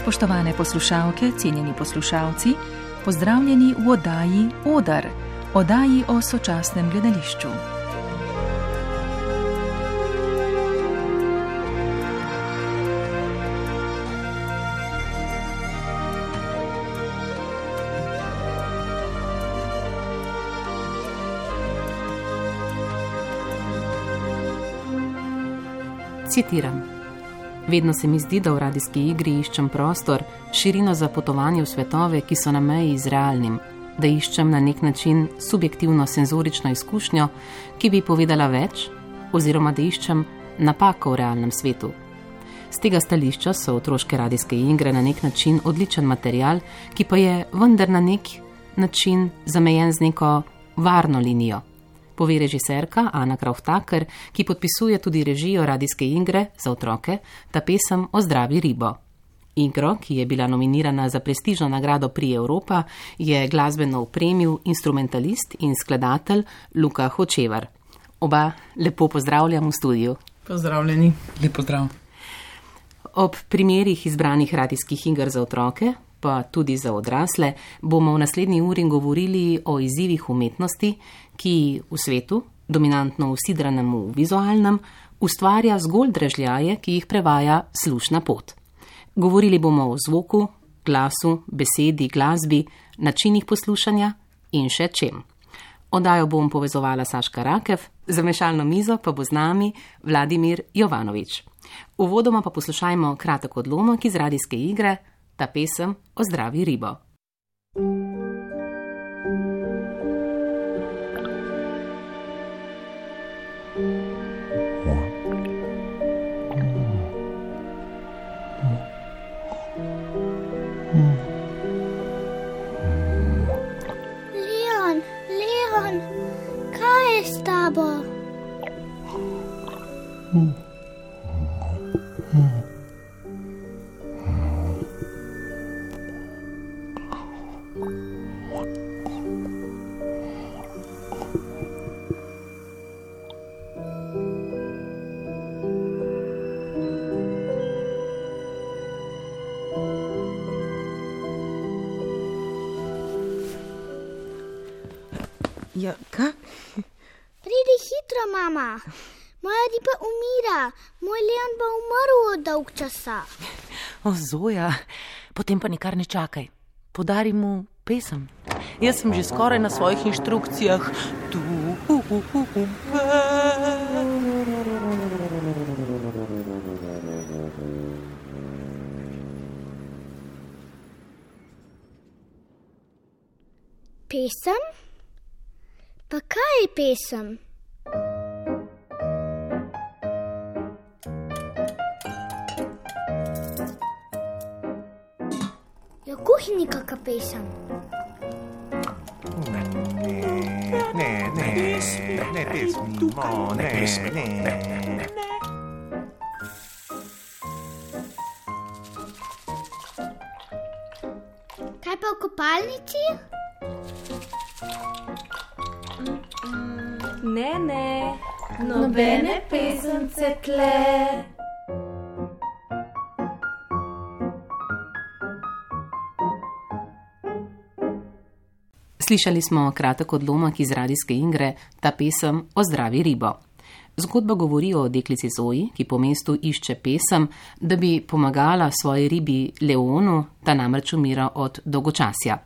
Spoštovane poslušalke, cenjeni poslušalci, pozdravljeni v oddaji Odar, oddaji o sočasnem gledališču. Citiram. Vedno se mi zdi, da v radijski igri iščem prostor, širino za potovanje v svetove, ki so na meji z realnim, da iščem na nek način subjektivno senzorično izkušnjo, ki bi povedala več, oziroma da iščem napako v realnem svetu. Z tega stališča so otroške radijske igre na nek način odličen material, ki pa je vendar na nek način zamejen z neko varno linijo. Pove režiserka Ana Krauth-Tucker, ki podpisuje tudi režijo radijske igre za otroke, ta pesem Ozdravi ribo. Igro, ki je bila nominirana za prestižno nagrado Prix Europa, je glasbeno opremil instrumentalist in skladatelj Luka Hočevar. Oba lepo pozdravljam v studiu. Pozdravljeni. Lep pozdrav. Ob primerih izbranih radijskih iger za otroke, pa tudi za odrasle, bomo v naslednji uri govorili o izzivih umetnosti, ki v svetu, dominantno usidranem v vizualnem, ustvarja zgolj dražljaje, ki jih prevaja slušna pot. Govorili bomo o zvoku, glasu, besedi, glasbi, načinih poslušanja in še čem. Oddajo bom povezovala Saška Rakev, za mešalno mizo pa bo z nami Vladimir Jovanovič. Uvodoma pa poslušajmo kratek odlomek iz radijske igre, ta pesem Ozdravi ribo. Leon, kaj je s tabo? Ja, kaj? Pridi hitro, mama. Moja riba umira. Moj Leon bo umrl od dolg časa. O, Zoja, potem pa nikar ne čakaj. Podari mu pesem. Jaz sem že skoraj na svojih inštrukcijah. Pesem? Pa kaj je pesem? Je v kuhinji kakšna pesem? Ne. Kaj pa v kopalnici? Ne, nobene pesence tle. Slišali smo kratek odlomek iz radijske igre, ta pesem Ozdravi ribo. Zgodba govori o deklici Zoji, ki po mestu išče pesem, da bi pomagala svoji ribi Leonu, ta namreč umira od dolgočasja.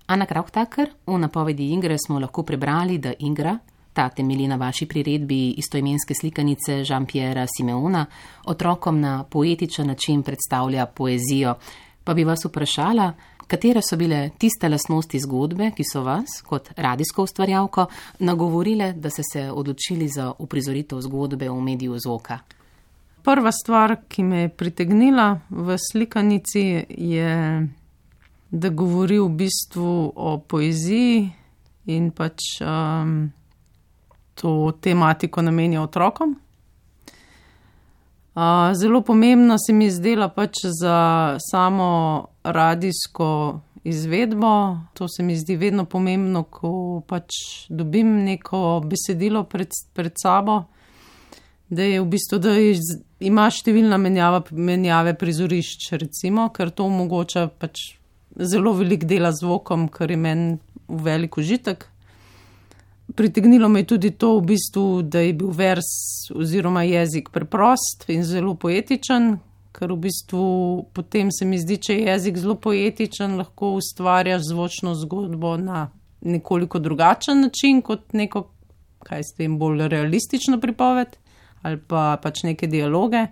Ana Krauth-Tucker, v napovedi igre smo lahko prebrali, da igra, ta temelji na vaši priredbi istoimenske slikanice Jean-Pierrea Simeona, otrokom na poetičen način predstavlja poezijo. Pa bi vas vprašala, katere so bile tiste lastnosti zgodbe, ki so vas, kot radijsko ustvarjalko, nagovorile, da ste se odločili za uprizoritev zgodbe v mediju zvoka? Prva stvar, ki me je pritegnila v slikanici, je, da govori v bistvu o poeziji in pač to tematiko namenja otrokom. Zelo pomembno se mi je zdela pač za samo radijsko izvedbo. To se mi zdi vedno pomembno, ko pač dobim neko besedilo pred sabo, da je v bistvu, da je ima številna menjave prizorišč, recimo, ker to omogoča pač zelo velik dela z zvokom, kar je meni velik užitek. Pritegnilo me je tudi to v bistvu, da je bil vers oziroma jezik preprost in zelo poetičen, ker v bistvu potem se mi zdi, če je jezik zelo poetičen, lahko ustvarjaš zvočno zgodbo na nekoliko drugačen način kot neko, kaj s tem, bolj realistično pripoved ali pa pač neke dialoge.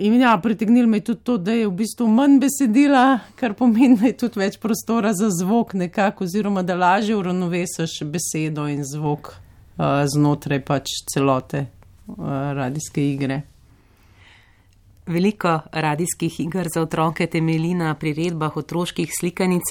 In ja, pritegnilo me je tudi to, da je v bistvu manj besedila, kar pomeni, da je tudi več prostora za zvok nekako, oziroma da lažje uravnovesiš besedo in zvok znotraj pač celote radijske igre. Veliko radijskih iger za otroke temelji na priredbah otroških slikanic,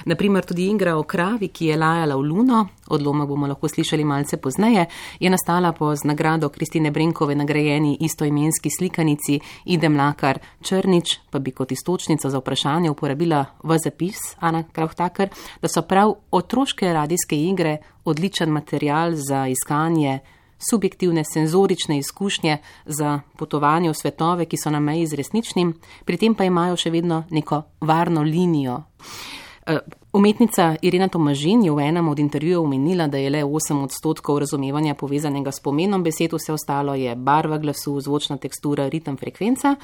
naprimer tudi igra o kravi, ki je lajala v luno, odlomek bomo lahko slišali malce pozneje, je nastala po z nagrado Kristine Brenkove nagrajeni istoimenski slikanici Ide Mlakar Črnič, pa bi kot iztočnico za vprašanje uporabila v zapis, Ana Krauhtaker, da so prav otroške radijske igre odličen material za iskanje subjektivne senzorične izkušnje za potovanje v svetove, ki so na meji z resničnim, pri tem pa imajo še vedno neko varno linijo. Umetnica Irena Tomažin je v enem od intervjujev omenila, da je le 8% razumevanja povezanega s pomenom besed, vse ostalo je barva glasu, zvočna tekstura, ritem, frekvenca.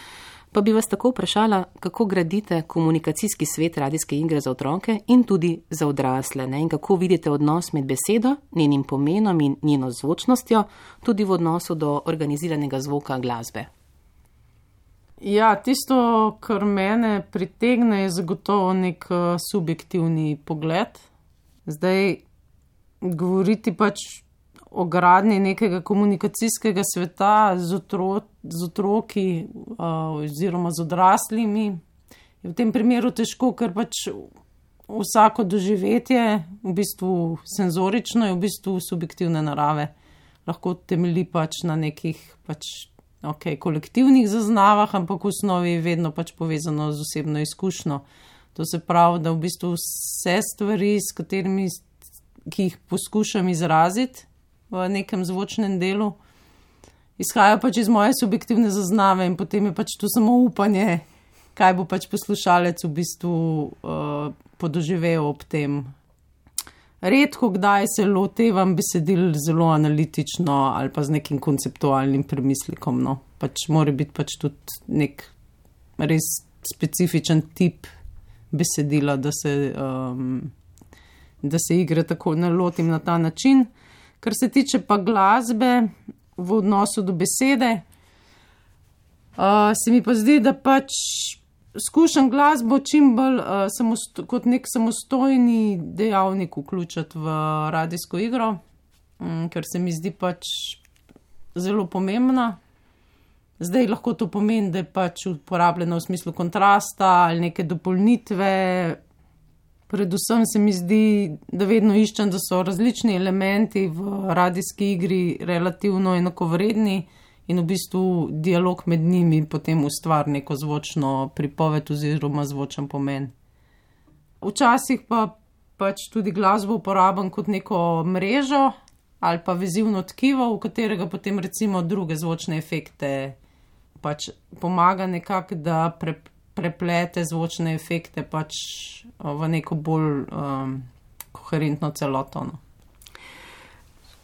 Pa bi vas tako vprašala, kako gradite komunikacijski svet radijske igre za otroke in tudi za odrasle, ne? In kako vidite odnos med besedo, njenim pomenom in njeno zvočnostjo, tudi v odnosu do organiziranega zvoka glasbe. Ja, tisto, kar mene pritegne, je zagotovo nek subjektivni pogled. Zdaj, govoriti pač o gradnji nekega komunikacijskega sveta z otroki oziroma z odraslimi je v tem primeru težko, ker pač vsako doživetje, v bistvu senzorično, je v bistvu subjektivne narave. Lahko temelji pač na nekih kolektivnih zaznavah, ampak v osnovi je vedno pač povezano z osebno izkušnjo. To se pravi, da v bistvu vse stvari, ki jih poskušam izraziti v nekem zvočnem delu, izhajajo pač iz moje subjektivne zaznave in potem je pač to samo upanje, kaj bo pač poslušalec v bistvu podoživel ob tem. Redko kdaj se lotevam besedil zelo analitično ali pa z nekim konceptualnim premislekom, no. Pač mora biti pač tudi nek res specifičen tip besedila, da se igre tako nalotim na ta način. Kar se tiče pa glasbe v odnosu do besede, se mi pa zdi, da pač skušam glasbo čim bolj kot nek samostojni dejavnik vključiti v radijsko igro, ker se mi zdi pač zelo pomembna. Zdaj lahko to pomeni, da je pač uporabljena v smislu kontrasta ali neke dopolnitve. Predvsem se mi zdi, da vedno iščem, da so različni elementi v radijski igri relativno enakovredni in v bistvu dialog med njimi potem ustvari neko zvočno pripoved oziroma zvočen pomen. Včasih pa pač tudi glasbo uporabljam kot neko mrežo ali pa vezivno tkivo, v katerega potem recimo druge zvočne efekte pač pomaga nekako, da preplete zvočne efekte pač v neko bolj koherentno celoto.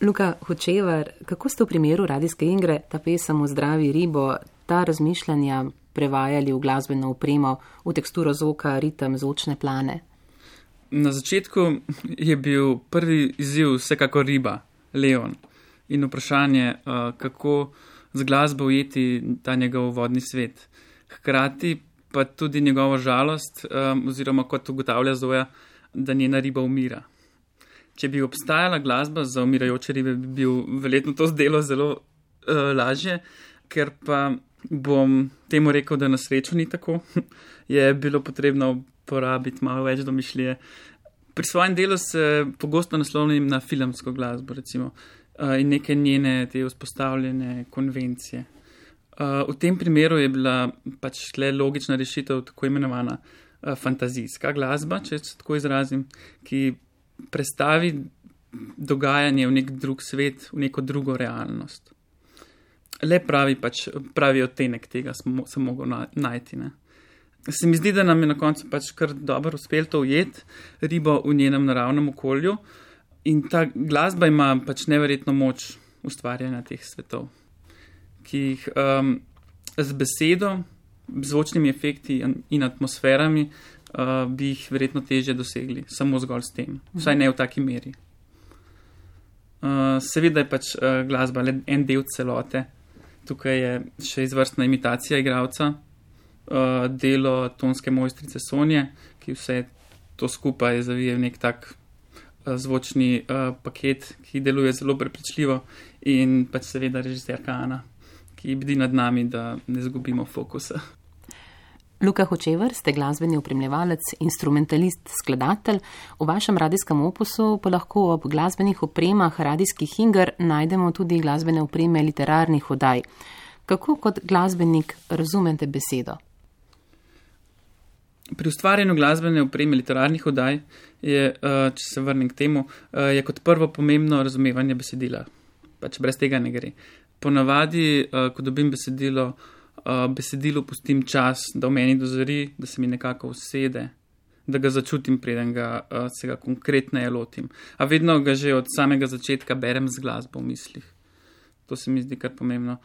Luka Hočevar, kako ste v primeru radijske igre Ta pesem o zdravi ribo, ta razmišljanja prevajali v glasbeno opremo, v teksturo zvoka, ritem, zvočne plane? Na začetku je bil prvi izziv vsekako riba, Leon, in vprašanje, kako z glasbo ujeti ta njegov vodni svet. Hkrati pa tudi njegovo žalost, oziroma kot ugotavlja Zoja, da njena riba umira. Če bi obstajala glasba za umirajoče ribe, bi bil verjetno to zdelo zelo lažje, ker pa bom temu rekel, da na srečo ni tako, je bilo potrebno porabiti malo več domišljije. Pri svojem delu se pogosto naslovnim na filmsko glasbo, recimo, in neke njene te vzpostavljene konvencije. V tem primeru je bila pač le logična rešitev tako imenovana fantazijska glasba, če se tako izrazim, ki prestavi dogajanje v nek drug svet, v neko drugo realnost. le pravi odtenek tega sem mogel najti. Ne. Se mi zdi, da nam je na koncu pač kar dobro uspelo to ujeti, ribo v njenem naravnem okolju, in ta glasba ima pač neverjetno moč ustvarjanja teh svetov, ki jih z besedo, zvočnimi efekti in atmosferami bi jih verjetno težje dosegli, samo zgolj s tem, vsaj ne v taki meri. Seveda je pač glasba le en del celote, tukaj je še izvrstna imitacija igralca, delo tonske mojstrice Sonje, ki vse to skupaj zavije v nek tak zvočni paket, ki deluje zelo prepričljivo, in pač seveda režiserka Ana, ki bdi nad nami, da ne zgubimo fokusa. Luka Hočevar, ste glasbeni opremljevalec, instrumentalist, skladatelj. V vašem radijskem opusu pa lahko ob glasbenih opremah radijskih iger najdemo tudi glasbene opreme literarnih oddaj. Kako kot glasbenik razumete besedo? Pri ustvarjanju glasbene opreme literarnih oddaj je, če se vrnem k temu, je kot prvo pomembno razumevanje besedila. Pač brez tega ne gre. Ponavadi, ko dobim besedilo, besedilu pustim čas, da v meni dozori, da se mi nekako usede, da ga začutim, preden se ga konkretneje lotim. A vedno ga že od samega začetka berem z glasbo v mislih. To se mi zdi kar pomembno.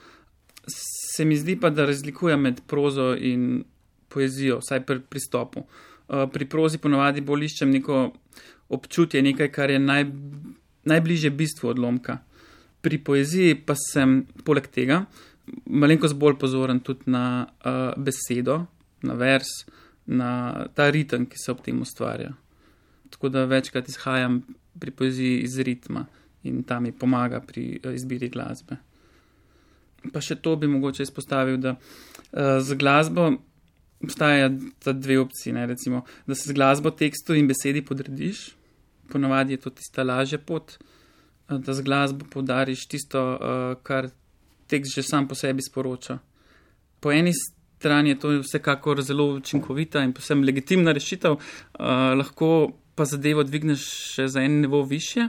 Se mi zdi pa, da razlikujem med prozo in poezijo, vsaj pri pristopu. Pri prozi ponavadi bolj iščem neko občutje, nekaj, kar je najbližje bistvu odlomka. Pri poeziji pa sem poleg tega malenkost bolj pozoren tudi na besedo, na vers, na ta ritem, ki se ob tem ustvarja. Tako da večkrat izhajam pri poeziji iz ritma in ta mi pomaga pri izbiri glasbe. Pa še to bi mogoče izpostavil, da z glasbo obstaja ta dve opciji, ne, recimo, da se z glasbo tekstu in besedi podrediš, ponavadi je to tista lažja pot, da z glasbo poudariš tisto, kar tekst že sam po sebi sporoča. Po eni strani je to vsekakor zelo učinkovita in posebno legitimna rešitev, lahko pa zadevo dvigneš še za en nivo višje,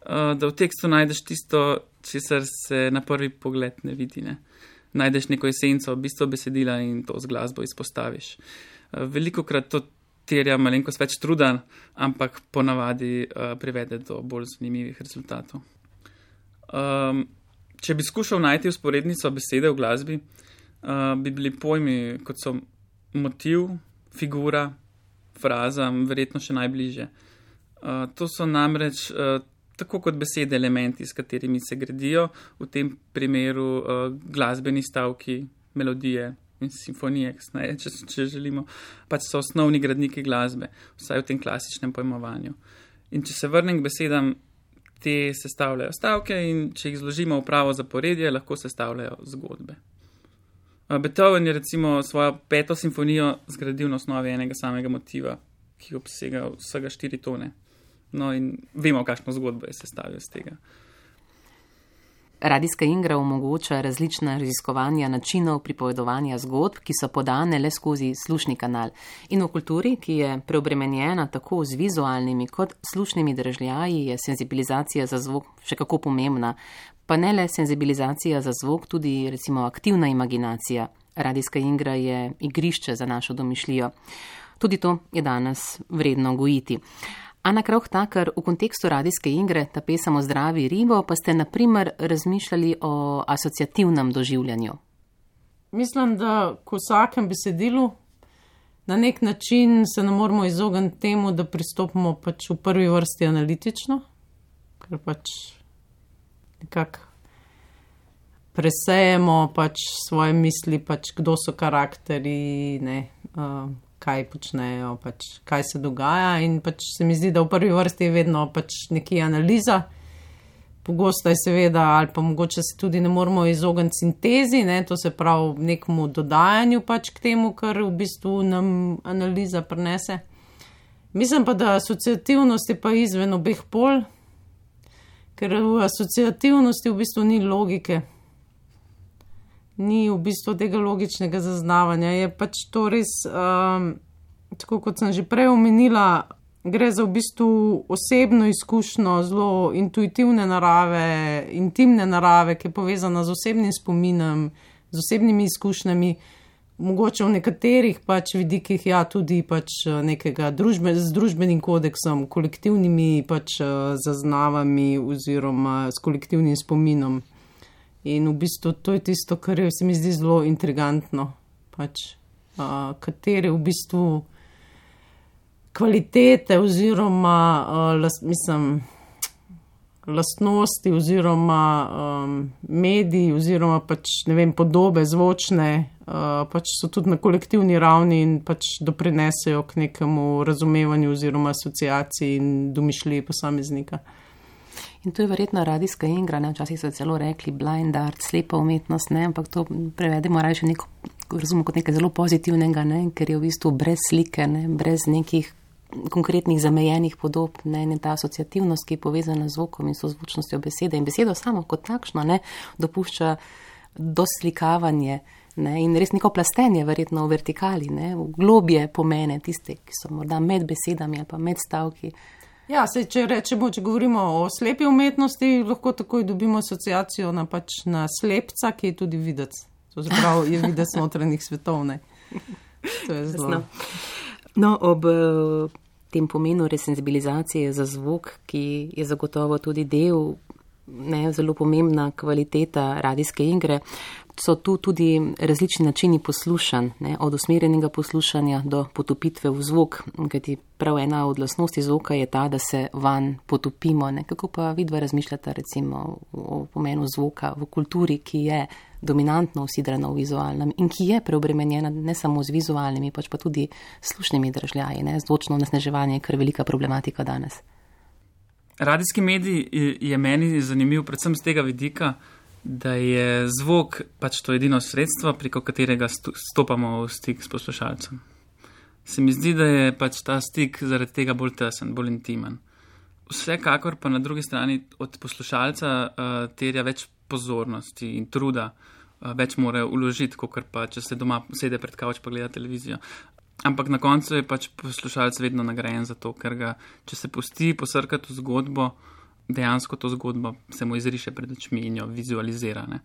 da v tekstu najdeš tisto, česar se na prvi pogled ne vidi, ne. Najdeš neko esenco, bistvo besedila in to z glasbo izpostaviš. Velikokrat to terja malenkost več truda, ampak ponavadi privede do bolj zanimivih rezultatov. Če bi skušal najti vzporednico besede v glasbi, bi bili pojmi, kot so motiv, figura, fraza, verjetno še najbližje. To so namreč tako kot besede elementi, s katerimi se gradijo, v tem primeru glasbeni stavki, melodije in simfonije, če želimo, pač so osnovni gradniki glasbe, vsaj v tem klasičnem pojmovanju. In če se vrnem k besedam, te sestavljajo stavke in če jih zložimo v pravo zaporedje, lahko sestavljajo zgodbe. Beethoven je recimo svojo 5. simfonijo zgradil na osnovi enega samega motiva, ki obsega vsega 4 tone. No in vemo, kakšno zgodbo je sestavil z tega. Radijska igra omogoča različna raziskovanja načinov pripovedovanja zgodb, ki so podane le skozi slušni kanal. In v kulturi, ki je preobremenjena tako z vizualnimi kot slušnimi držljaji, je senzibilizacija za zvok še kako pomembna. Pa ne le senzibilizacija za zvok, tudi recimo aktivna imaginacija. Radijska igra je igrišče za našo domišljijo. Tudi to je danes vredno gojiti. Ana Krauch-Taker, v kontekstu radijske igre, ta pesem o zdravi ribo, pa ste naprimer razmišljali o asociativnem doživljanju. Mislim, da ko vsakem besedilu na nek način se ne moramo izogniti temu, da pristopimo pač v prvi vrsti analitično, ker pač nekako presejemo pač svoje misli, pač kdo so karakteri, ne, kaj počnejo, pač kaj se dogaja, in pač se mi zdi, da v prvi vrsti je vedno pač nekje analiza. Pogosto je seveda, ali pa mogoče se tudi ne moramo izogniti sintezi, ne, to se pravi nekemu dodajanju pač k temu, kar v bistvu nam analiza prinese. Mislim pa, da asociativnost je pa izven obeh pol, ker v asociativnosti v bistvu ni logike. Ni v bistvu tega logičnega zaznavanja. Je pač to res, tako kot sem že prej omenila, gre za v bistvu osebno izkušnjo, zelo intuitivne narave, intimne narave, ki je povezana z osebnim spominom, z osebnimi izkušnjami, mogoče v nekaterih pač vidikih, ja, tudi pač nekega z družbenim kodeksom, kolektivnimi pač zaznavami oziroma s kolektivnim spominom. In v bistvu to je tisto, kar se mi zdi zelo intrigantno, pač katere v bistvu kvalitete oziroma lastnosti oziroma mediji oziroma pač, ne vem, podobe zvočne pač so tudi na kolektivni ravni in pač doprinesejo k nekemu razumevanju oziroma asociaciji in domišljiji posameznika. In to je verjetno radijska igra, ne? Včasih so celo rekli blind art, slepa umetnost, ne? Ampak to prevedemo raje še neko, razumemo kot nekaj zelo pozitivnega, ne? Ker je v bistvu brez slike, ne? Brez nekih konkretnih zamejenih podob, ne? In ta asociativnost, ki je povezana z zvokom in sozvočnostjo besede in besedo samo kot takšno, ne? Dopušča doslikavanje, ne? In res neko plastenje verjetno v vertikali, ne? V globje pomene tiste, ki so morda med besedami ali pa med stavki. Ja, če govorimo o slepi umetnosti, lahko takoj dobimo asociacijo na slepca, ki je tudi videc. To zapravo je videc notranjih svetov, ne. To je zelo. No, ob tem pomenu resenzibilizacije za zvok, ki je zagotovo tudi del, ne, zelo pomembna kvaliteta radijske igre, so tu tudi različni načini poslušanj, ne, od usmerjenega poslušanja do potopitve v zvok, kajti prav ena od lastnosti zvoka je ta, da se vanj potopimo. Ne. Kako pa vidva razmišljata recimo o pomenu zvoka v kulturi, ki je dominantno usidrana v vizualnem in ki je preobremenjena ne samo z vizualnimi, pač pa tudi slušnimi držljaji, ne. Zvočno onesnaževanje je kar velika problematika danes. Radijski medij je meni zanimiv predvsem z tega vidika, da je zvok pač to edino sredstvo, preko katerega stopamo v stik s poslušalcem. Se mi zdi, da je pač ta stik zaradi tega bolj tesen, bolj intimen. Vsekakor pa na drugi strani od poslušalca terja več pozornosti in truda, več mora vložiti, kakor pa če se doma sede pred kavč pa gleda televizijo. Ampak na koncu je pač poslušalec vedno nagrajen za to, ker ga, če se pusti posrkati v zgodbo, dejansko to zgodbo se mu izriše pred očmi in jo vizualizira. Ne.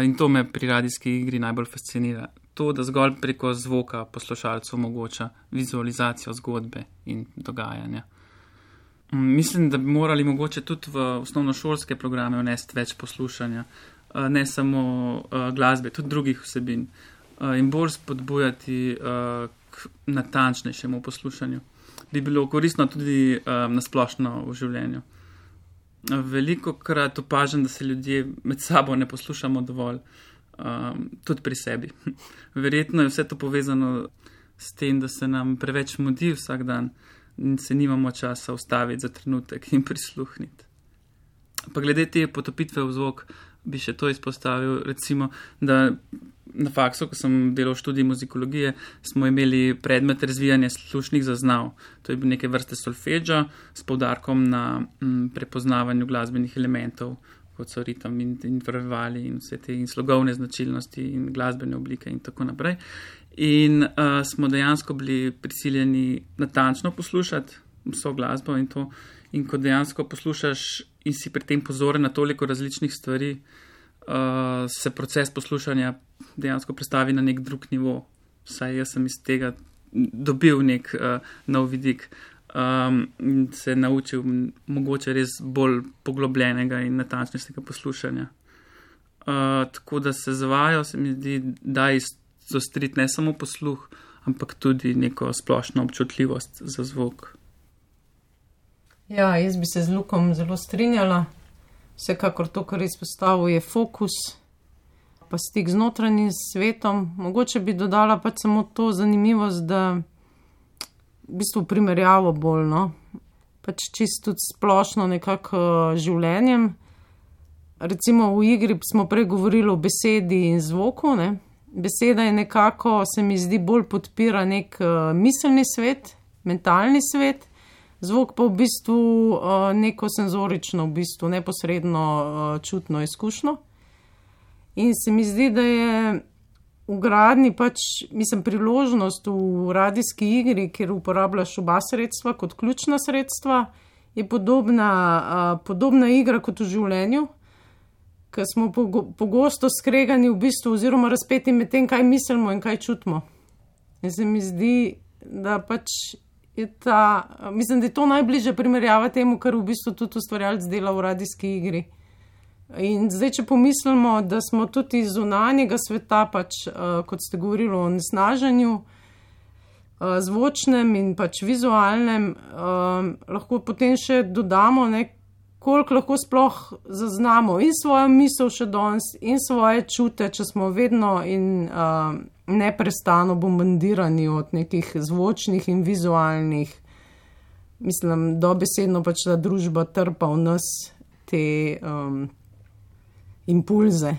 In to me pri radijski igri najbolj fascinira. To, da zgolj preko zvoka poslušalcu omogoča vizualizacijo zgodbe in dogajanja. Mislim, da bi morali mogoče tudi v osnovnošolske programe vnesti več poslušanja, ne samo glasbe, tudi drugih vsebin in bolj spodbujati k natančnejšemu poslušanju. Bi bilo koristno tudi nasplošno v življenju. Veliko krat opažam, da se ljudje med sabo ne poslušamo dovolj, tudi pri sebi. Verjetno je vse to povezano s tem, da se nam preveč mudi vsak dan in se nimamo časa ustaviti za trenutek in prisluhniti. Pa glede te potopitve v zvok bi še to izpostavil, recimo, da na faksu, ko sem delal študij muzikologije, smo imeli predmet razvijanja slušnih zaznav. To je bil neke vrste solfeggio s poudarkom na prepoznavanju glasbenih elementov, kot so ritem in intervali in vse te in slogovne značilnosti in glasbene oblike in tako naprej. In smo dejansko bili prisiljeni natančno poslušati vso glasbo in to. In ko dejansko poslušaš in si pri tem pozoren na toliko različnih stvari, se proces poslušanja dejansko prestavi na nek drug nivo. Saj jaz sem iz tega dobil nek nov vidik in se naučil mogoče res bolj poglobljenega in natančnejšega poslušanja. Tako da se z vajo se mi zdi, da izostriti ne samo posluh, ampak tudi neko splošno občutljivost za zvok. Ja, jaz bi se z Lukom zelo strinjala. Vsekakor to, kar je izpostavil, je fokus, pa stik z notranjim svetom. Mogoče bi dodala pač samo to zanimivost, da v bistvu primerjavo bolj, no. Pač čisto tudi splošno nekako življenjem. Recimo v igri smo prej govorili o besedi in zvoku, ne. Beseda je nekako, se mi zdi, bolj podpira nek miselni svet, mentalni svet. Zvok pa v bistvu neko senzorično, v bistvu neposredno čutno izkušnjo. In se mi zdi, da je vgradni priložnost v radijski igri, kjer uporabljaš oba sredstva kot ključna sredstva, je podobna igra kot v življenju, ker smo pogosto skregani v bistvu oziroma razpeti med tem, kaj mislimo in kaj čutimo. In se mi zdi, da je mislim, da je to najbližje primerjava temu, kar v bistvu tudi ustvarjalec dela v radijski igri. In zdaj, če pomislimo, da smo tudi iz zunanjega sveta, kot ste govorili o onesnaženju, zvočnem in vizualnem, lahko potem še dodamo, koliko lahko sploh zaznamo in svojo misel še danes in svoje čute, če smo vedno in neprestano bombardirani od nekih zvočnih in vizualnih, mislim, dobesedno ta družba trpa v nas te impulze.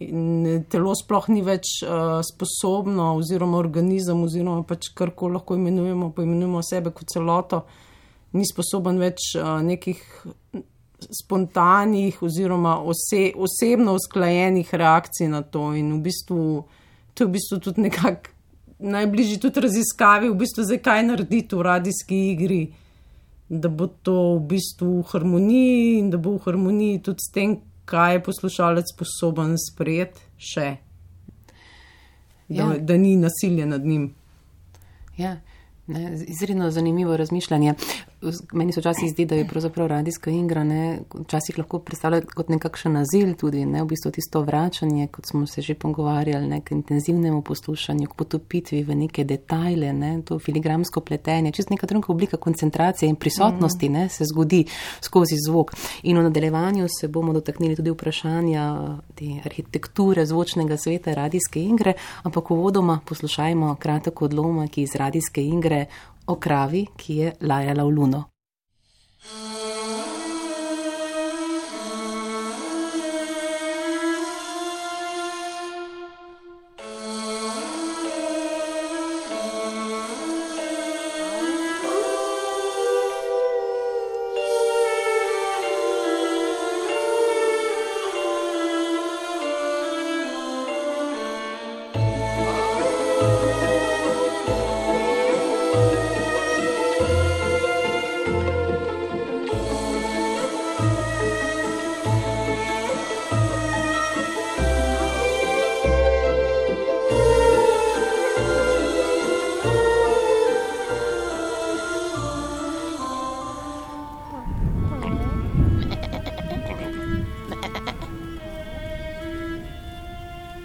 In telo sploh ni več sposobno oziroma organizem oziroma karkoli lahko poimenujemo sebe kot celoto, ni sposoben več nekih spontanih oziroma osebno usklajenih reakcij na to. In to je v bistvu tudi nekako najbližji tudi raziskavi, v bistvu zdaj kaj narediti v radijski igri, da bo to v bistvu v harmoniji in da bo v harmoniji tudi s tem, kaj je poslušalec sposoben sprejeti še, da ni nasilje nad njim. Ja, izredno zanimivo razmišljanje. Meni se včasih zdi, da je pravzaprav radijska igra, včasih lahko predstavlja kot nekakšen azil tudi, v bistvu tisto vračanje, kot smo se že pogovarjali, k intenzivnemu poslušanju, k potopitvi v neke detajle, to filigramsko pletenje, čist neka druga oblika koncentracije in prisotnosti se zgodi skozi zvok. In v nadaljevanju se bomo dotaknili tudi vprašanja te arhitekture zvočnega sveta radijske igre, ampak uvodoma poslušajmo kratek odlomek iz radijske igre o kravi, ki je lajala v luno.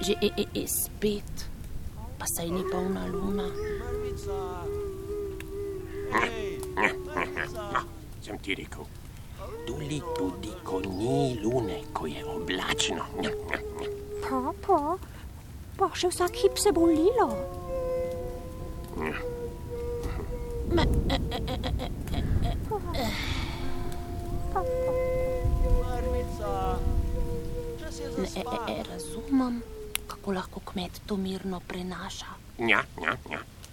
Že spet, pa saj ni polna luna. Sem ti rekel, tudi ko ni lune, ko je oblačno. Pa še vsak hip se bo lilo. Ne razumem, kako lahko kmet to mirno prenaša. Ja.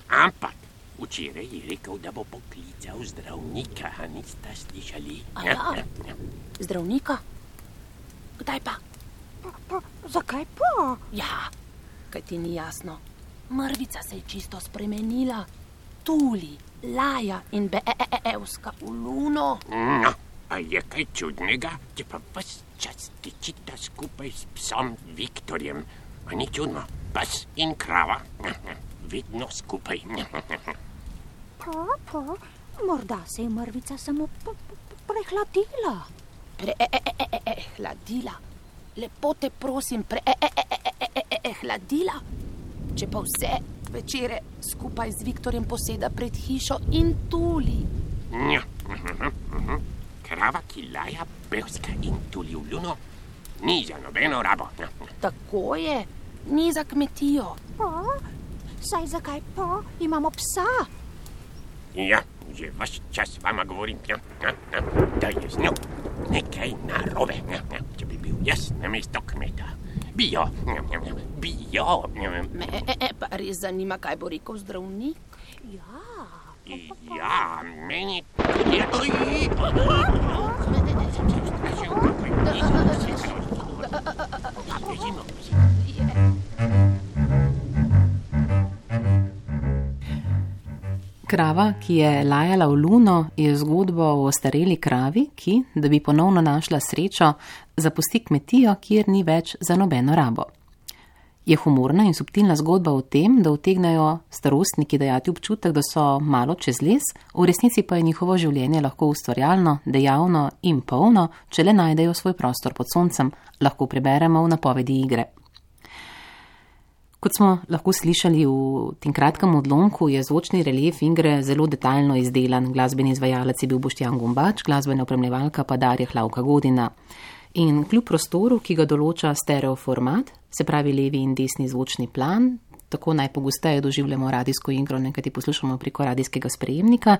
Ampak včeraj je rekel, da bo poklical zdravnika, a niste slišali? Zdravnika? Kdaj pa? Zakaj pa? Ja, kaj ti ni jasno. Mrvica se je čisto spremenila. Tuli, laja in beevska v luno. A je kaj čudnega, če pa ves čas tičita skupaj s psom Viktorjem? A ni čudno, pes in krava, vedno skupaj. Morda se je mrvica samo prehladila. Prehladila? Lepo te prosim, prehladila? Če pa vse večere skupaj z Viktorjem poseda pred hišo in tuli. Krava, ki laja, pevska in tuli v luno, ni za nobeno rabo. Tako je, ni za kmetijo. Saj zakaj pa? Imamo psa. Ja, že vaš čas vama govorim, da je z njo nekaj narobe. Če bi bil jaz namesto kmeta, bi jo. Pa res zanima, kaj bo rekel zdravnik? Ja, meni... Krava, ki je lajala v luno, je zgodba o ostareli kravi, ki, da bi ponovno našla srečo, zapusti kmetijo, kjer ni več za nobeno rabo. Je humorna in subtilna zgodba o tem, da utegnejo starostniki dajati občutek, da so malo čez les, v resnici pa je njihovo življenje lahko ustvarjalno, dejavno in polno, če le najdejo svoj prostor pod soncem, lahko preberemo v napovedi igre. Kot smo lahko slišali v tem kratkem odlomku, je zvočni relief igre zelo detaljno izdelan. Glasbeni izvajalec je bil Boštjan Gombač, glasbena opremljevalka pa Darja Hlavka Godina. In kljub prostoru, ki ga določa stereoformat, se pravi levi in desni zvočni plan, tako najpogosteje doživljamo radijsko igro, nekaj poslušamo preko radijskega sprejemnika,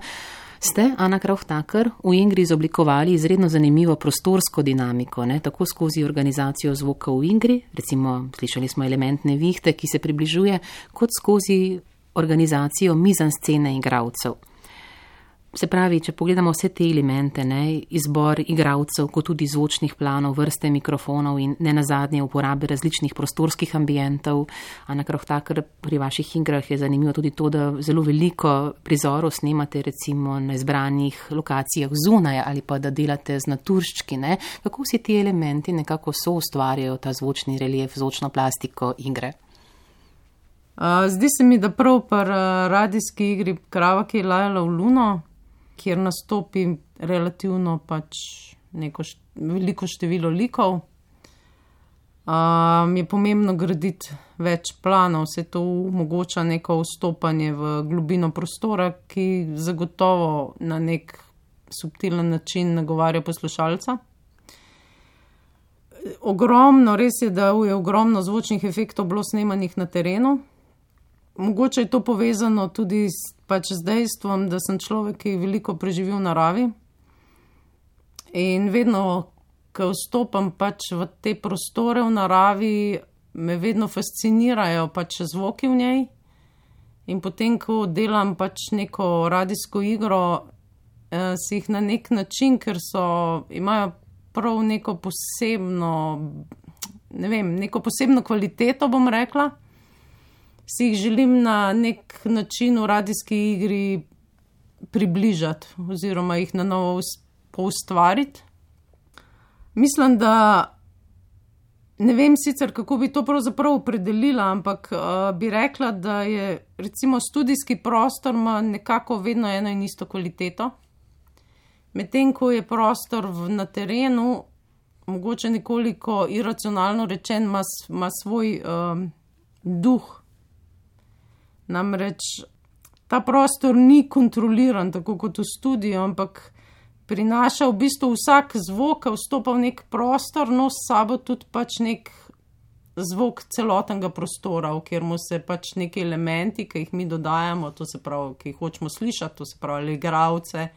ste, Ana Krauth-Taker, v igri izoblikovali izredno zanimivo prostorsko dinamiko, tako skozi organizacijo zvoka v igri, recimo slišali smo element nevihte, ki se približuje, kot skozi organizacijo mizanscene igralcev. Se pravi, če pogledamo vse te elemente, izbor igralcev, kot tudi zvočnih planov, vrste mikrofonov in nenazadnje uporabe različnih prostorskih ambientov. Ana Krauth-Taker, pri vaših igrah je zanimivo tudi to, da zelo veliko prizorov snemate recimo na izbranih lokacijah zunaj ali pa da delate z naturščki. Kako vsi ti elementi nekako soustvarjajo ta zvočni relief, zvočno plastiko igre? Zdi se mi, da prav pri radijski igri Krava, ki je lajala v luno, kjer nastopi relativno veliko število likov, je pomembno graditi več planov, vse to omogoča neko vstopanje v globino prostora, ki zagotovo na nek subtilen način nagovarja poslušalca. Res je, da je ogromno zvočnih efektov bilo snemanih na terenu. Mogoče je to povezano tudi z dejstvom, da sem človek, ki veliko preživi v naravi. In vedno, ko vstopam v te prostore v naravi, me vedno fascinirajo zvoki v njej. In potem, ko delam neko radijsko igro, si jih na nek način, ker imajo prav neko posebno kvaliteto, bom rekla, si jih želim na nek način v radijski igri približati oziroma jih na novo poustvariti. Mislim, da ne vem sicer, kako bi to pravzaprav opredelila, ampak bi rekla, da je recimo studijski prostor ima nekako vedno eno in isto kvaliteto. Medtem, ko je prostor na terenu, mogoče nekoliko iracionalno rečen, ima svoj duh. Namreč ta prostor ni kontroliran tako kot v studiu, ampak prinaša v bistvu vsak zvok, ki vstopa v nek prostor, nosi s sabo tudi nek zvok celotnega prostora, v katerem se neki elementi, ki jih mi dodajamo, to se pravi, ki jih hočemo slišati, to se pravi igralce,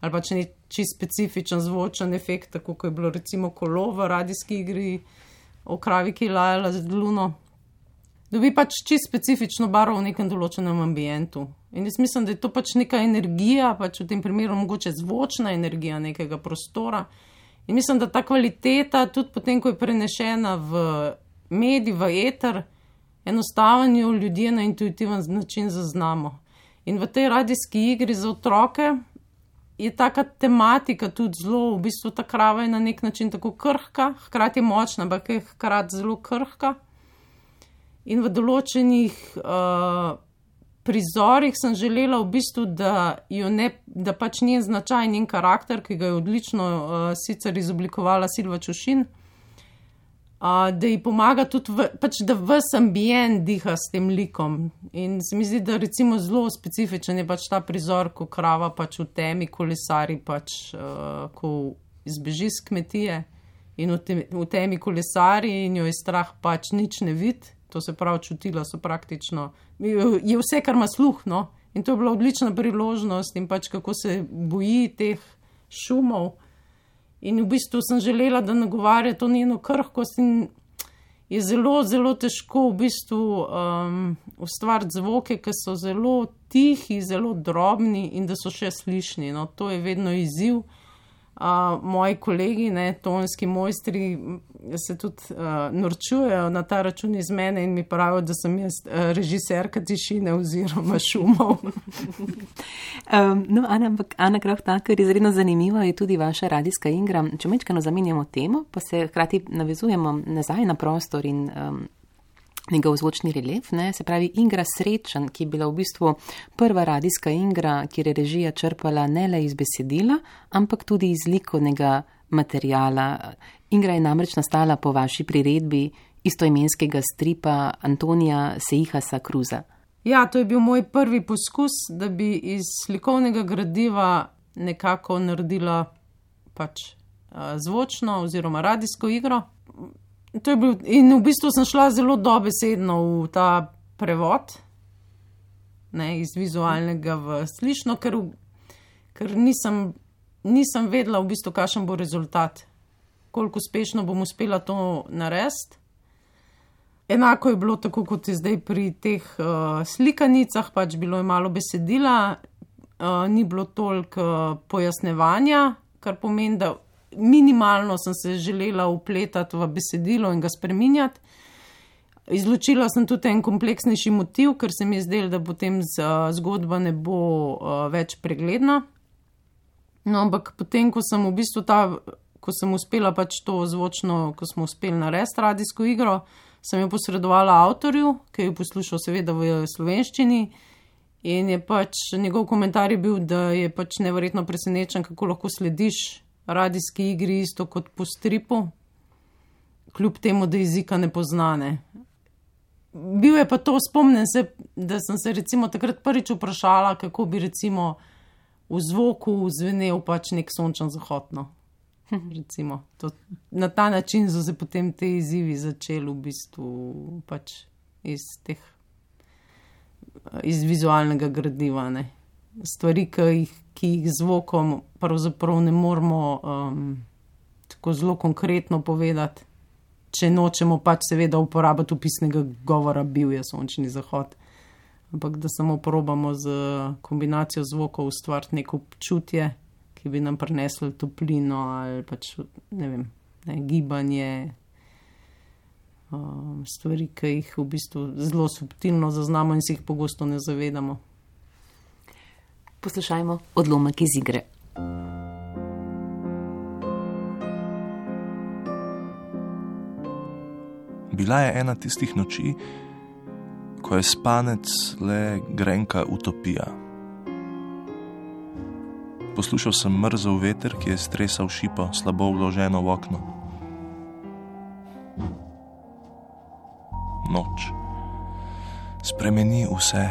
ali čisto specifičen zvočen efekt, tako kot je bilo recimo kolo v radijski igri o Kravi, ki je lajala z luno. Dobi čisto specifično barvo v nekem določenem ambientu. In jaz mislim, da je to neka energija, v tem primeru mogoče zvočna energija nekega prostora. In mislim, da ta kvaliteta, tudi potem, ko je prenešena v medij, v eter, enostaven jo ljudje na intuitiven način zaznamo. In v tej radijski igri za otroke je taka tematika tudi zelo, v bistvu ta krava je na nek način tako krhka, hkrati je močna, ampak je hkrati zelo krhka. In v določenih prizorih sem želela v bistvu, da njen značaj, njen karakter, ki ga je odlično sicer izoblikovala Silva Čušin, da ji pomaga tudi, da ves ambient diha s tem likom. In se mi zdi, da recimo zelo specifičen je ta prizor, ko krava v temi kolesari, ko izbeži z kmetije in v temi kolesari in jo je strah nič ne vidi. To se pravi, čutila so praktično, je vse, kar ima sluh, no? In to je bila odlična priložnost in kako se boji teh šumov. In v bistvu sem želela, da nagovarja to njeno krhkost in je zelo, zelo težko v bistvu ustvariti zvoke, ki so zelo tihi, zelo drobni in da so še slišni. No? To je vedno izziv. moji kolegi, tonski mojstri, se tudi norčujejo na ta račun iz mene in mi pravijo, da sem jaz režiserka tišine oziroma šumov. Ana Kraftaker, izredno zanimiva je tudi vaša radijska igra. Če mečkano zamenjamo temo, pa se hkrati navezujemo nazaj na prostor in njegov zvočni relief, se pravi igra Srečen, ki je bila v bistvu prva radijska igra, kjer je režija črpala ne le iz besedila, ampak tudi iz likovnega materiala. Igra je namreč nastala po vaši priredbi istoimenskega stripa Antonija Seihasa Cruza. Ja, to je bil moj prvi poskus, da bi iz slikovnega gradiva nekako naredila zvočno oziroma radijsko igro. To je bil, in v bistvu sem šla zelo dobesedno v ta prevod, iz vizualnega v slišno, ker nisem vedela v bistvu, kakšen bo rezultat, koliko uspešno bom uspela to narediti. Enako je bilo tako, kot je zdaj pri teh slikanicah, bilo je malo besedila, ni bilo toliko pojasnevanja, kar pomeni, da minimalno sem se želela vpletati v besedilo in ga spreminjati. Izločila sem tudi en kompleksnejši motiv, ker se mi je zdelo, da potem zgodba ne bo več pregledna. No, ampak potem, ko sem v bistvu ko sem uspela to zvočno, ko smo uspeli narediti radijsko igro, sem jo posredovala avtorju, ki je poslušal seveda v slovenščini in je njegov komentar je bil, da je neverjetno presenečen, kako lahko slediš radijski igri isto kot po stripu, kljub temu, da jezika ne poznane. Bil je pa to, spomnim se, da sem se recimo takrat prvič vprašala, kako bi recimo v zvoku zvenel nek sončen zahod. Recimo, na ta način so se potem te izzivi začeli v bistvu iz vizualnega gradiva. Stvari, ki jih zvokom pravzaprav ne moremo tako zelo konkretno povedati, če nočemo seveda uporabiti opisnega govora, bil je sončni zahod. Ampak da samo probamo z kombinacijo zvokov ustvariti neko občutje, ki bi nam prineslo toplino ali gibanje, stvari, ki jih v bistvu zelo subtilno zaznamo in si jih pogosto ne zavedamo. Poslušajmo odlomek iz igre. Bila je ena tistih noči, ko je spanec le grenka utopija. Poslušal sem mrzel veter, ki je stresal šipo slabo vloženo v okno. Noč spremeni vse.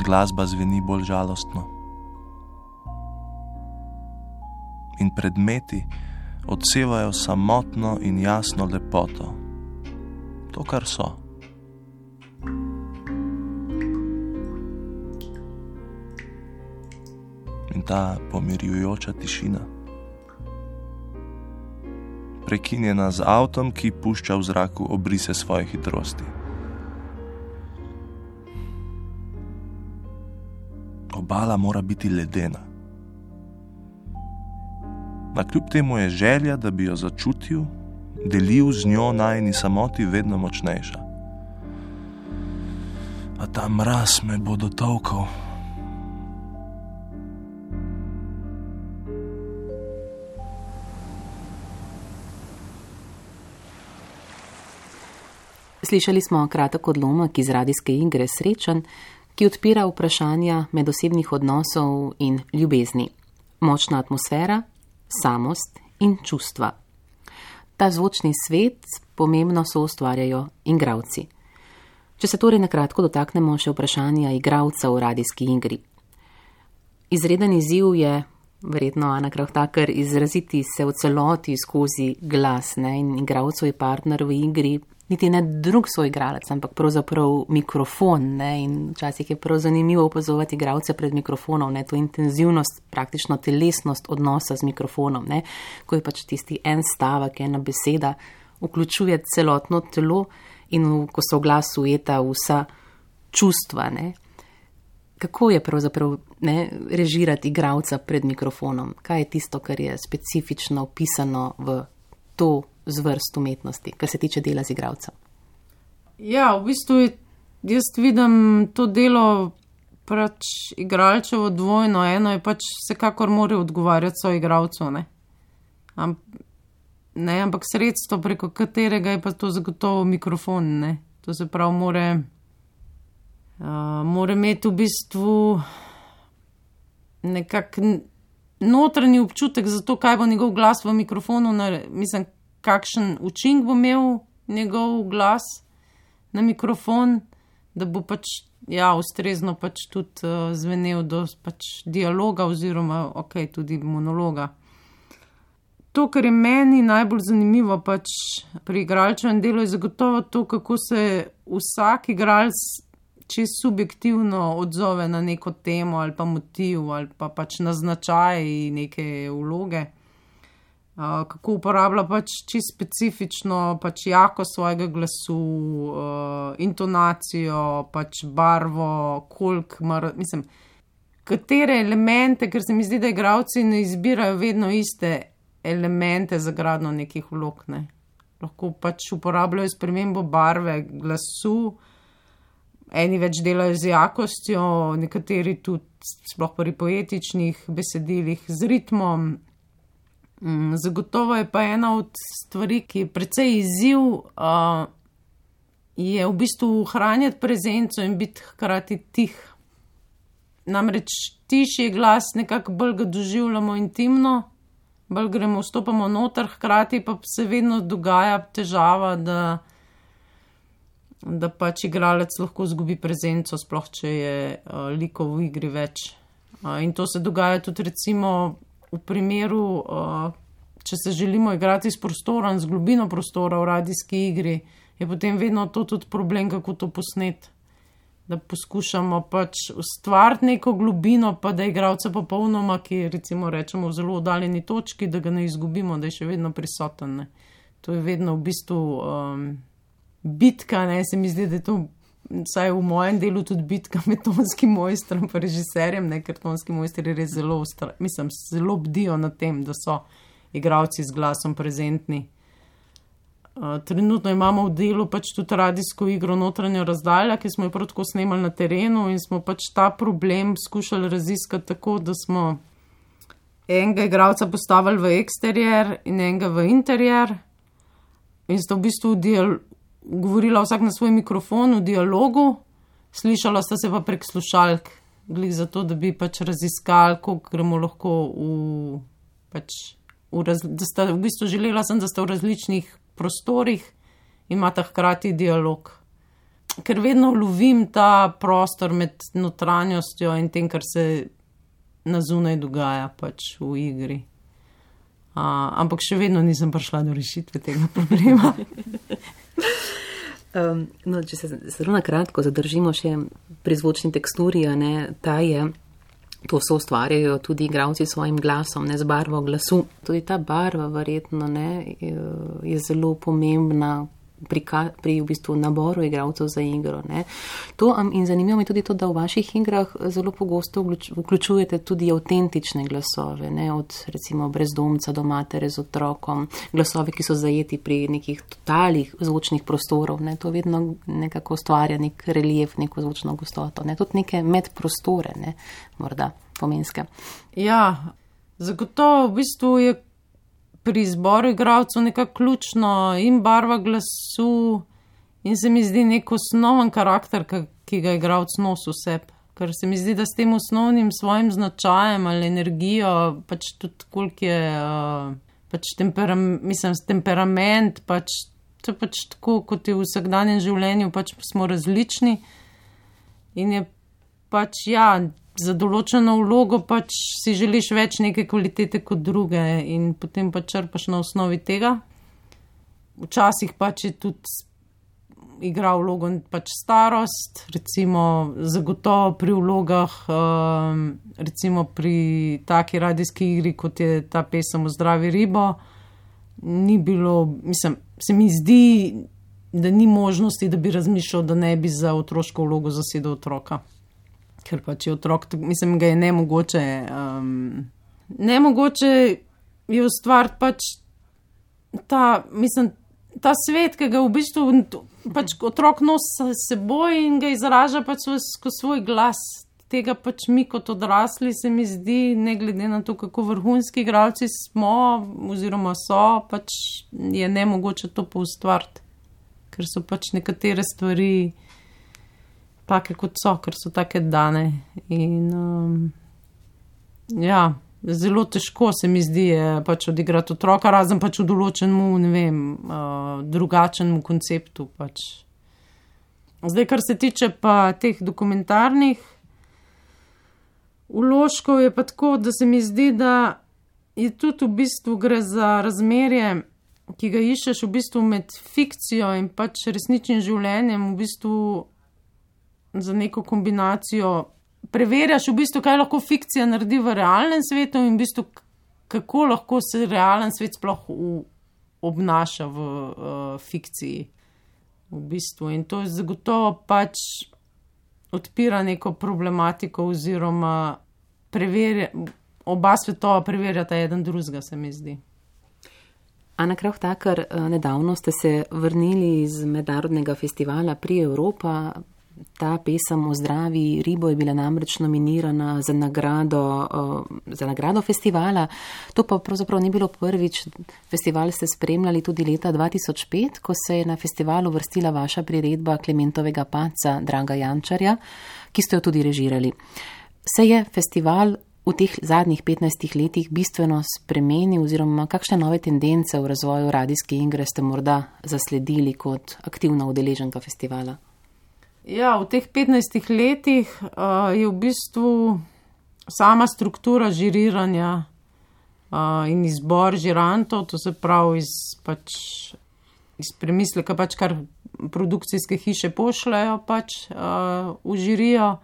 Glasba zveni bolj žalostno. In predmeti odsevajo samotno in jasno lepoto. To, kar so. In ta pomirjujoča tišina, prekinjena z avtom, ki pušča v zraku obrise svoje hitrosti. Obala mora biti ledena. Nakljub temu je želja, da bi jo začutil, delil z njo najini samoti vedno močnejša. A ta mraz me bo dotolkal. Slišali smo kratek odlomek iz radijske igre Srečen, ki odpira vprašanja medosebnih odnosov in ljubezni. Močna atmosfera, samost in čustva. Ta zvočni svet pomembno soustvarjajo igralci. Če se torej nakratko dotaknemo še vprašanja igralca v radijski igri. Izreden izziv je, verjetno Ana Kraftaker, izraziti se v celoti skozi glas, in igralcev je partner v igri niti ne drug soigralec, ampak pravzaprav mikrofon, in včasih je prav zanimivo opazovati igralce pred mikrofonom, to intenzivnost, praktično telesnost odnosa z mikrofonom, ko je tisti en stavek, ena beseda vključuje celotno telo in ko so v glas ujeta vsa čustva. Kako je pravzaprav režirati igralca pred mikrofonom? Kaj je tisto, kar je specifično opisano v to zvrst umetnosti, kar se tiče dela z igralcem? Ja, v bistvu jaz vidim to delo igralčevo dvojno. Eno je vsekakor mora odgovarjati svoj igralcu, ampak sredstvo, preko katerega je pa to zagotovo mikrofon, To se pravi, mora imeti v bistvu nekak notranji občutek za to, kaj bo njegov glas v mikrofonu, kakšen učinek bo imel njegov glas na mikrofon, da bo ustrezno tudi zvenel do dialoga oziroma tudi monologa. To, kar je meni najbolj zanimivo pri igralčevem delu, je zagotovo to, kako se vsak igralec čisto subjektivno odzove na neko temo ali pa motiv ali pa na značaj neke vloge. Kako uporablja čisto specifično jakost svojega glasu, intonacijo, barvo, katere elemente, ker se mi zdi, da igralci ne izbirajo vedno iste elemente za gradnjo nekih vlog. Lahko uporabljajo spremembo barve glasu, eni več delajo z jakostjo, nekateri tudi, sploh pri poetičnih besedilih, z ritmom. Zagotovo je pa ena od stvari, ki je precej izziv, je v bistvu ohranjati prezenco in biti hkrati tih. Namreč tišji glas nekako bolj ga doživljamo intimno, bolj vstopamo noter, hkrati pa se vedno dogaja težava, da igralec lahko izgubi prezenco, sploh če je likov v igri več. In to se dogaja tudi recimo v primeru, če se želimo igrati s prostorom, z globino prostora v radijski igri, je potem vedno to tudi problem, kako to posneti. Da poskušamo ustvariti neko globino, pa da igralca popolnoma, ki recimo rečemo v zelo oddaljeni točki, da ga ne izgubimo, da je še vedno prisoten. To je vedno v bistvu bitka, se mi zdi, da je to vsaj v mojem delu tudi bitka med tonskim mojstrom pa režiserjem, ker tonski mojstri res zelo bdijo nad tem, da so igralci z glasom prezentni. Trenutno imamo v delu tudi radijsko igro Notranja razdalja, ki smo jo prav tako snemali na terenu in smo ta problem skušali raziskati tako, da smo enega igralca postavili v eksterier in enega v interier in sta v bistvu govorila vsak na svoj mikrofon v dialogu, slišala sta se pa prek slušalk, glih zato, da bi raziskali, koliko gremo lahko da sta v bistvu želela sem, da sta v različnih prostorih in imata hkrati dialog. Ker vedno lovim ta prostor med notranjostjo in tem, kar se na zunaj dogaja v igri. Ampak še vedno nisem prišla do rešitve tega problema. Če se zelo na kratko zadržimo še pri zvočni teksturi, to so ustvarjajo tudi igralci s svojim glasom, z barvo glasu. Tudi ta barva verjetno je zelo pomembna pri v bistvu naboru igralcev za igro. In zanimivo mi tudi to, da v vaših igrah zelo pogosto vključujete tudi avtentične glasove, od recimo brezdomca do matere z otrokom, glasove, ki so zajeti pri nekih totalih zvočnih prostorov. To vedno nekako ustvarja nek relief, neko zvočno gostoto. Tudi neke medprostore, morda pomenske. Ja, zagotovo v bistvu je pri izboru igralcev nekako ključno in barva glasu in se mi zdi nek osnoven karakter, ki ga igralec nosi v sebi. Ker se mi zdi, da s tem osnovnim svojim značajem ali energijo, tudi koliko je temperament, to je tako, kot je v vsakdanjem življenju, smo različni in je za določeno vlogo si želiš več neke kvalitete kot druge in potem črpaš na osnovi tega. Včasih je tudi igra vlogo starost, recimo zagotovo pri vlogah, recimo pri taki radijski igri, kot je ta pesem Ozdravi ribo, ni bilo, se mi zdi, da ni možnosti, da bi razmišljal, da ne bi za otroško vlogo zasedel otroka. ker pač je otrok, mislim, ga je nemogoče je ustvariti pač ta svet, ki ga v bistvu pač otrok nosi s seboj in ga izraža pač skozi svoj glas. Tega pač mi kot odrasli se mi zdi, ne glede na to, kako vrhunski igralci smo oziroma so, pač je nemogoče to poustvariti, ker so pač nekatere stvari take kot so, ker so take dane. In zelo težko se mi zdi pač odigrati otroka, razen pač v določenemu, ne vem, drugačnemu konceptu pač. Zdaj, kar se tiče pa teh dokumentarnih vložkov, je pa tako, da se mi zdi, da je tudi v bistvu gre za razmerje, ki ga iščeš v bistvu med fikcijo in pač resničnim življenjem, v bistvu za neko kombinacijo. Preverjaš v bistvu, kaj lahko fikcija naredi v realnem svetu in v bistvu, kako lahko se realen svet sploh obnaša v fikciji. V bistvu. In to je zagotovo pač odpira neko problematiko oziroma oba svetova preverjata eden drugega, se mi zdi. Ana Krauth-Taker, nedavno ste se vrnili iz mednarodnega festivala Pri Evropa. Ta pesem o zdravi ribo je bila namreč nominirana za nagrado festivala. To pa pravzaprav ni bilo prvič. Festival ste spremljali tudi leta 2005, ko se je na festivalu vrstila vaša priredba Klementovega Paca Draga Jančarja, ki ste jo tudi režirali. Se je festival v teh zadnjih 15 letih bistveno spremenil oziroma kakšne nove tendence v razvoju radijske igre ste morda zasledili kot aktivna udeleženka festivala? Ja, v teh 15 letih je v bistvu sama struktura žiriranja in izbor žirantov, to se pravi iz premisleka, pač kar produkcijske hiše pošljajo pač v žirijo,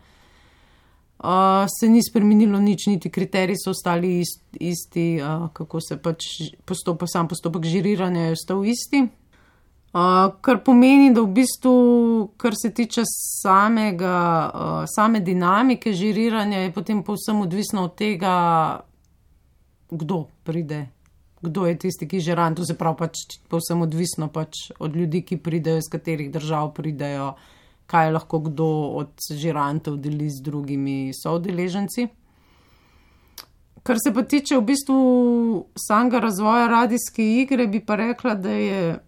se ni spremenilo nič, niti kriteriji so ostali isti, kako se pač sam postopek žiriranja je ostal isti. Kar pomeni, da v bistvu, kar se tiče same dinamike žiriranja, je potem povsem odvisno od tega, kdo pride, kdo je tisti, ki žirant, to se pravi pač povsem odvisno pač od ljudi, ki pridejo, iz katerih držav pridejo, kaj lahko kdo od žirantov deli z drugimi soudeleženci. Kar se pa tiče v bistvu samega razvoja radijske igre, bi pa rekla, da je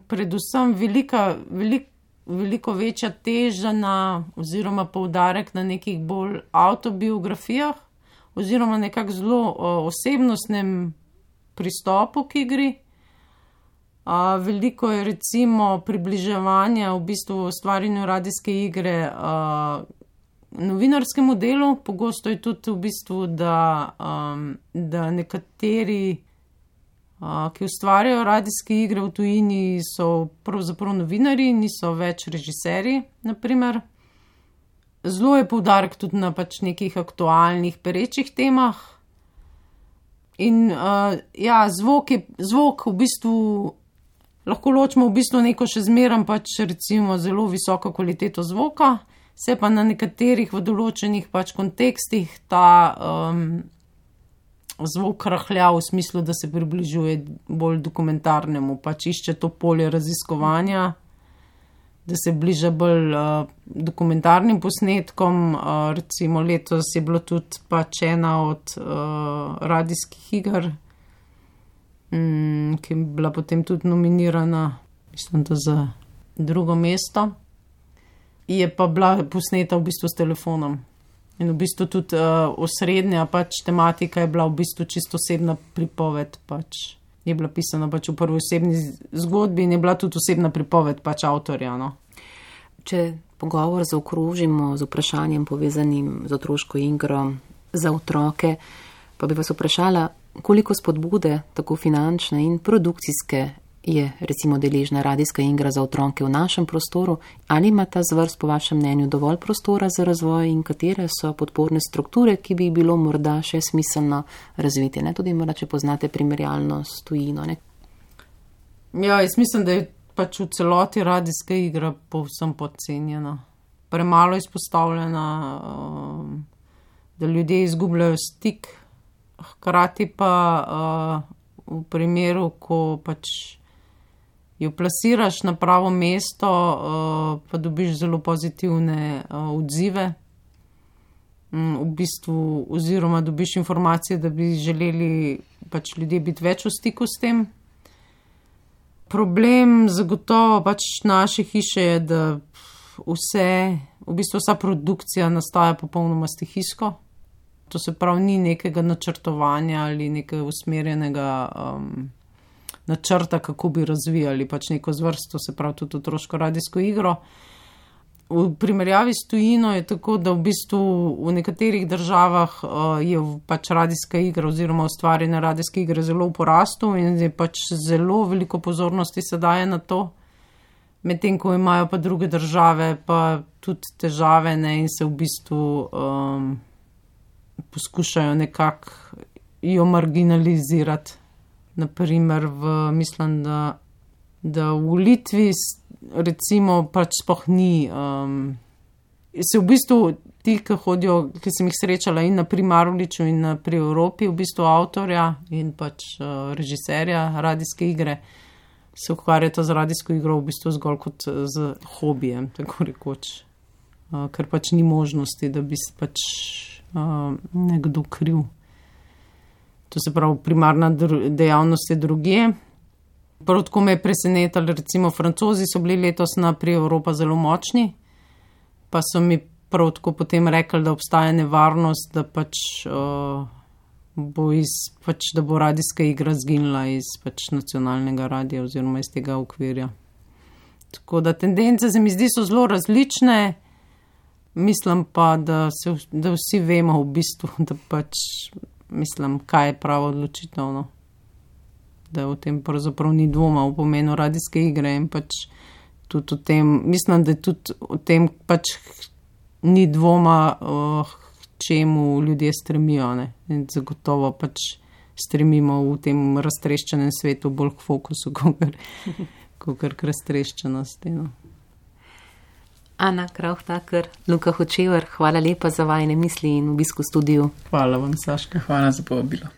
predvsem veliko večja teža oziroma poudarek na nekih bolj avtobiografijah oziroma nekako zelo osebnostnem pristopu k igri. Veliko je recimo približevanja v bistvu ustvarjanju radijske igre novinarskemu delu. Pogosto je tudi v bistvu, da nekateri, ki ustvarjajo radijske igre v tujini, so pravzaprav novinarji, niso več režiserji, naprimer. Zelo je poudarek tudi na pač nekih aktualnih, perečih temah. In zvok v bistvu lahko ločimo v bistvu neko še zmeraj pač recimo zelo visoko kvaliteto zvoka, se pa na nekaterih v določenih pač kontekstih ta zvok rahlja v smislu, da se približuje bolj dokumentarnemu, pač išče to polje raziskovanja, da se bliža bolj dokumentarnim posnetkom. Recimo letos je bilo tudi pač ena od radijskih iger, ki je bila potem tudi nominirana, mislim, da za 2. mesto. Je pa bila posneta v bistvu s telefonom. In v bistvu tudi osrednja pač tematika je bila v bistvu čisto osebna pripoved, pač je bila pisana pač v prvi osebni zgodbi in je bila tudi osebna pripoved pač avtorja, no. Če pogovor zaokrožimo z vprašanjem povezanim z otroško igro za otroke, pa bi vas vprašala, koliko spodbude, tako finančne in produkcijske, je recimo deležna radijska igra za otroke v našem prostoru, ali ima ta zvrst po vašem mnenju dovolj prostora za razvoj in katere so podporne strukture, ki bi bilo morda še smiselno razviti, ne? Tudi morda, če poznate primerjalno s tujino, ne? Ja, jaz mislim, da je pač v celoti radijska igra povsem podcenjena. premalo izpostavljena, da ljudje izgubljajo stik. Hkrati pa v primeru, ko pač jo plasiraš na pravo mesto, pa dobiš zelo pozitivne odzive. V bistvu, oziroma dobiš informacije, da bi želeli pač ljudje biti več v stiku s tem. Problem zagotovo pač naše hiše je, da vsa produkcija nastaja popolnoma stihijsko. To se pravi, ni nekega načrtovanja ali nekega usmerjenega načrta, kako bi razvijali pač neko zvrst, to se pravi tudi otroško radijsko igro. V primerjavi s tujino je tako, da v bistvu v nekaterih državah je pač radijska igra oziroma ustvarjene radijske igre zelo v porastu in je pač zelo veliko pozornosti se daje na to, medtem ko imajo pa druge države pa tudi težave, ne, in se v bistvu poskušajo nekako jo marginalizirati. Naprimer, mislim, da v Litvi recimo pač sploh ni, se v bistvu ti, ki hodijo, ki sem jih srečala in na Primaruliču in pri Evropi, v bistvu avtorja in pač režiserja radijske igre, se ukvarjata z radijsko igro v bistvu zgolj kot z hobijem, tako rekoč. Ker pač ni možnosti, da bi se pač nekdo kriv. To se pravi, primarna dejavnost je drugje. Prav tako me je presenetilo, recimo Francozi so bili letos pri Evropa zelo močni, pa so mi prav tako potem rekli, da obstaja nevarnost, da da bo radijska igra zginila iz pač nacionalnega radija oziroma iz tega okvirja. Tako da tendence se mi zdi so zelo različne, mislim pa, da vsi vemo v bistvu, da pač mislim, kaj je pravo odločitev, no. Da v tem pravzaprav ni dvoma v pomenu radijske igre in pač tudi o tem, mislim, da tudi o tem pač ni dvoma, čemu ljudje stremijo, ne. In zagotovo pač stremimo v tem raztreščenem svetu bolj k fokusu, kakor k raztreščenosti, no. Ana Krauth-Tucker, Luka Hočevar, hvala lepa za vajine misli in obisk v studiu. Hvala vam, Saška. Hvala za povabilo.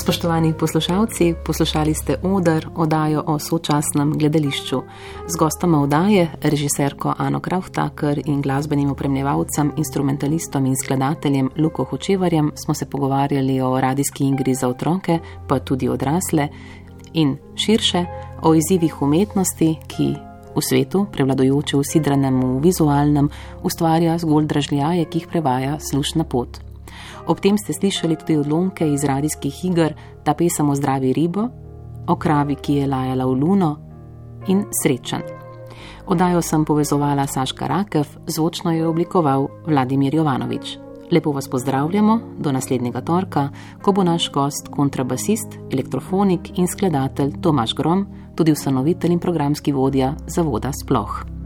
Spoštovani poslušalci, poslušali ste Oder, oddajo o sočasnem gledališču. Z gostoma oddaje, režiserko Ano Krauth-Tucker in glasbenim opremljevalcem, instrumentalistom in skladateljem Luko Hočevarjem smo se pogovarjali o radijski igri za otroke, pa tudi odrasle in širše o izzivih umetnosti, ki v svetu, prevladujoče v sidranem v vizualnem, ustvarja zgolj dražljaje, ki jih prevaja slušna pot. Ob tem ste slišali tudi odlomke iz radijskih iger Ta pesem o zdravi ribo, o kravi, ki je lajala v luno in Srečen. Oddajo sem povezovala Saška Rakev, zvočno je oblikoval Vladimir Jovanovič. Lepo vas pozdravljamo do naslednjega torka, ko bo naš gost kontrabasist, elektrofonik in skladatelj Tomaž Grom, tudi ustanovitelj in programski vodja Zavoda Sploh.